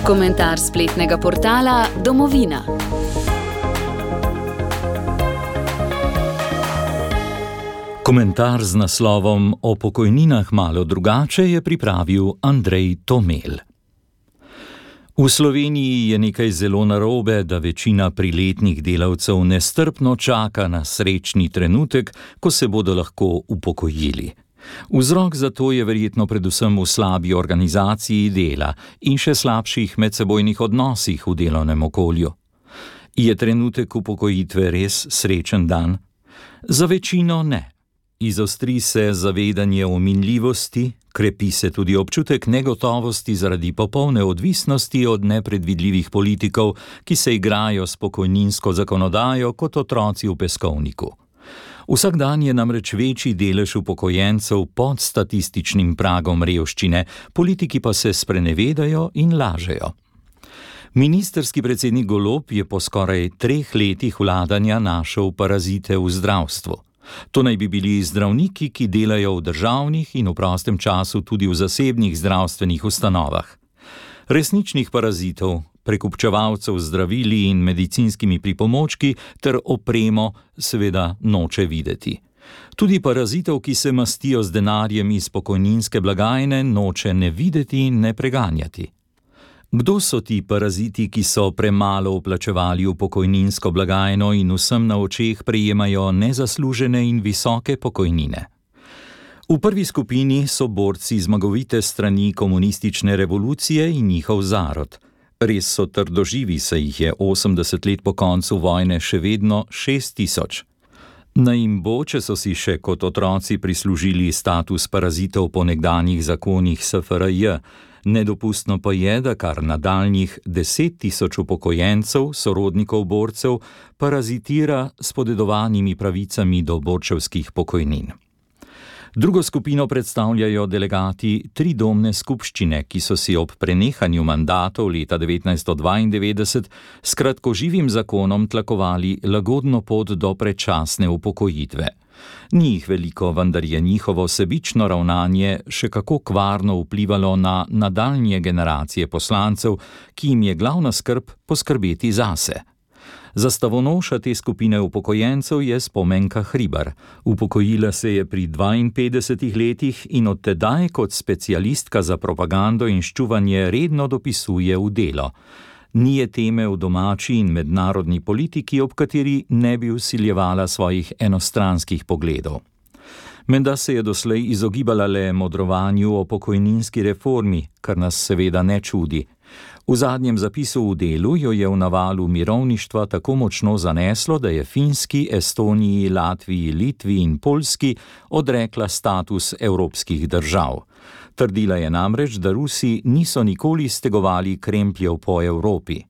Komentar spletnega portala Domovina. Komentar z naslovom O pokojninah malo drugače je pripravil Andrej Tomel. V Sloveniji je nekaj zelo narobe, da večina priletnih delavcev nestrpno čaka na srečni trenutek, ko se bodo lahko upokojili. Vzrok za to je verjetno predvsem v slabi organizaciji dela in še slabših medsebojnih odnosih v delovnem okolju. Je trenutek upokojitve res srečen dan? Za večino ne. Izostri se zavedanje o minljivosti, krepi se tudi občutek negotovosti zaradi popolne odvisnosti od nepredvidljivih politikov, ki se igrajo s pokojninsko zakonodajo kot otroci v peskovniku. Vsak dan je namreč večji delež upokojencev pod statističnim pragom revščine, politiki pa se sprenevedajo in lažejo. Ministrski predsednik Golob je po skoraj 3 letih vladanja našel parazite v zdravstvu. To naj bi bili zdravniki, ki delajo v državnih in v prostem času tudi v zasebnih zdravstvenih ustanovah. Resničnih parazitov, prekupčevalcev z zdravili in medicinskimi pripomočki ter opremo seveda noče videti. Tudi parazitov, ki se mastijo z denarjem iz pokojninske blagajne, noče ne videti in ne preganjati. Kdo so ti paraziti, ki so premalo vplačevali v pokojninsko blagajno in vsem na očeh prejemajo nezaslužene in visoke pokojnine? V prvi skupini so borci zmagovite strani komunistične revolucije in njihov zarod. Res so trdoživi, saj jih je 80 let po koncu vojne še vedno 6000. Naj jim bo, če so si še kot otroci prislužili status parazitov po nekdanjih zakonih SFRJ. Nedopustno pa je, da kar nadaljnjih 10 000 upokojencev, sorodnikov borcev, parazitira s podedovanimi pravicami do borčevskih pokojnin. Drugo skupino predstavljajo delegati tridomne skupščine, ki so si ob prenehanju mandatov leta 1992 s kratkoživim zakonom tlakovali lagodno pot do predčasne upokojitve. Ni jih veliko, vendar je njihovo sebično ravnanje še kako kvarno vplivalo na nadaljnje generacije poslancev, ki jim je glavna skrb poskrbeti zase. Zastavonoša te skupine upokojencev je Spomenka Hribar. Upokojila se je pri 52 letih in od tedaj kot specialistka za propagando in ščuvanje redno dopisuje v Delo. Ni je teme v domači in mednarodni politiki, ob kateri ne bi vsiljevala svojih enostranskih pogledov. Menda se je doslej izogibala le modrovanju o pokojninski reformi, kar nas seveda ne čudi. V zadnjem zapisu v Delu jo je v navalu mirovništva tako močno zaneslo, da je Finski, Estoniji, Latviji, Litvi in Poljski odrekla status evropskih držav. Trdila je namreč, da Rusi niso nikoli stegovali krempljev po Evropi.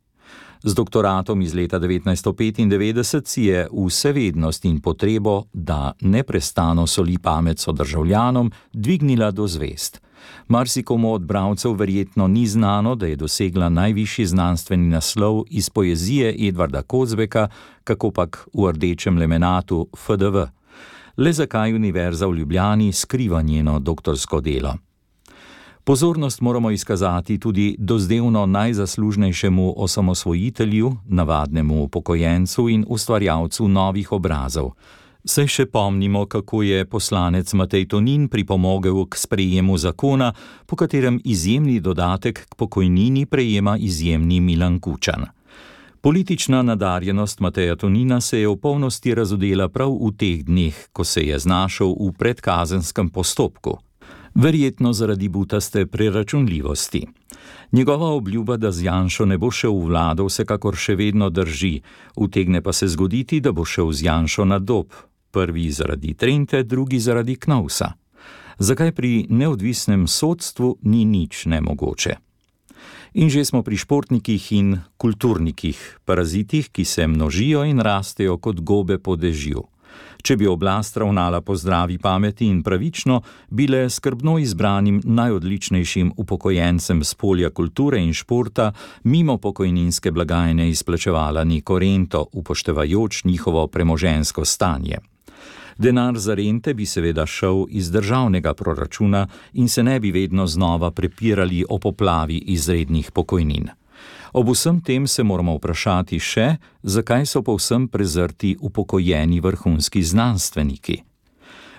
Z doktoratom iz leta 1995 si je vsevednost in potrebo, da neprestano soli pamet sodržavljanom, dvignila do zvezd. Marsikomu od bralcev verjetno ni znano, da je dosegla najvišji znanstveni naslov iz poezije Edvarda Kozbeka, kakopak v Rdečem lemenatu FDV. Le zakaj Univerza v Ljubljani skriva njeno doktorsko delo? Pozornost moramo izkazati tudi dozdevno najzaslužnejšemu osamosvojitelju, navadnemu upokojencu in ustvarjalcu novih obrazov. Saj še pomnimo, kako je poslanec Matej Tonin pripomogel k sprejemu zakona, po katerem izjemni dodatek k pokojnini prejema izjemni Milan Kučan. Politična nadarjenost Mateja Tonina se je v polnosti razodela prav v teh dneh, ko se je znašel v predkazenskem postopku. Verjetno zaradi butaste preračunljivosti. Njegova obljuba, da z Janšo ne bo šel v vlado, vsekakor še vedno drži, utegne pa se zgoditi, da bo šel z Janšo na Dob, prvi zaradi Trente, drugi zaradi Knovsa. Zakaj pri neodvisnem sodstvu ni nič nemogoče? In že smo pri športnikih in kulturnikih, parazitih, ki se množijo in rastejo kot gobe po dežju. Če bi oblast ravnala po zdravi pameti in pravično, bi le skrbno izbranim najodličnejšim upokojencem s polja kulture in športa mimo pokojninske blagajne izplačevala neko rento, upoštevajoč njihovo premoženjsko stanje. Denar za rente bi seveda šel iz državnega proračuna in se ne bi vedno znova prepirali o poplavi izrednih pokojnin. Ob vsem tem se moramo vprašati še, zakaj so povsem prezrti upokojeni vrhunski znanstveniki.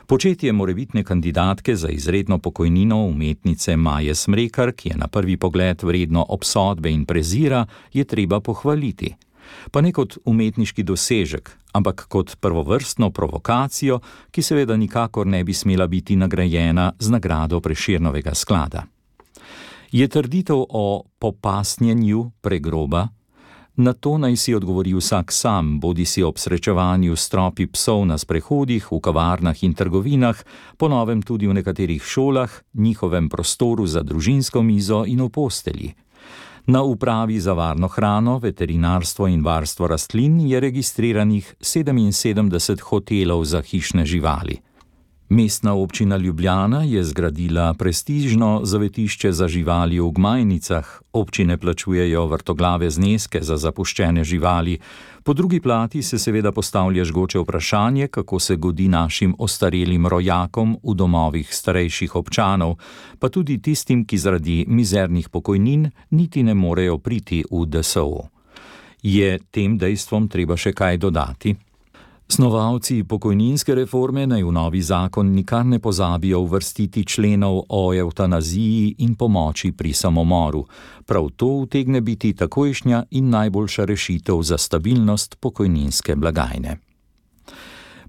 Početje morebitne kandidatke za izredno pokojnino umetnice Maje Smrekar, ki je na prvi pogled vredno obsodbe in prezira, je treba pohvaliti. Pa ne kot umetniški dosežek, ampak kot prvovrstno provokacijo, ki seveda nikakor ne bi smela biti nagrajena z nagrado Prešernovega sklada. Je trditev o popasnjenju pregroba? Na to naj si odgovori vsak sam, bodisi ob srečevanju s tropi psov na sprehodih, v kavarnah in trgovinah, po novem tudi v nekaterih šolah, njihovem prostoru za družinsko mizo in v postelji. Na upravi za varno hrano, veterinarstvo in varstvo rastlin je registriranih 77 hotelov za hišne živali. Mestna občina Ljubljana je zgradila prestižno zavetišče za živali v Gmajnicah, občine plačujejo vrtoglave zneske za zapuščene živali. Po drugi plati se seveda postavlja žgoče vprašanje, kako se godi našim ostarelim rojakom v domovih starejših občanov, pa tudi tistim, ki zaradi mizernih pokojnin niti ne morejo priti v DSO. Je tem dejstvom treba še kaj dodati? Snovalci pokojninske reforme naj v novi zakon nikar ne pozabijo uvrstiti členov o evtanaziji in pomoči pri samomoru. Prav to utegne biti takojšnja in najboljša rešitev za stabilnost pokojninske blagajne.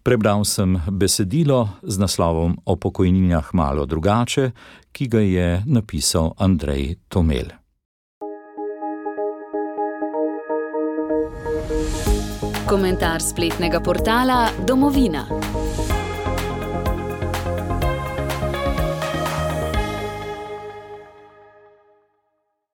Prebral sem besedilo z naslovom O pokojninah malo drugače, ki ga je napisal Andrej Tomel. Komentar spletnega portala Domovina.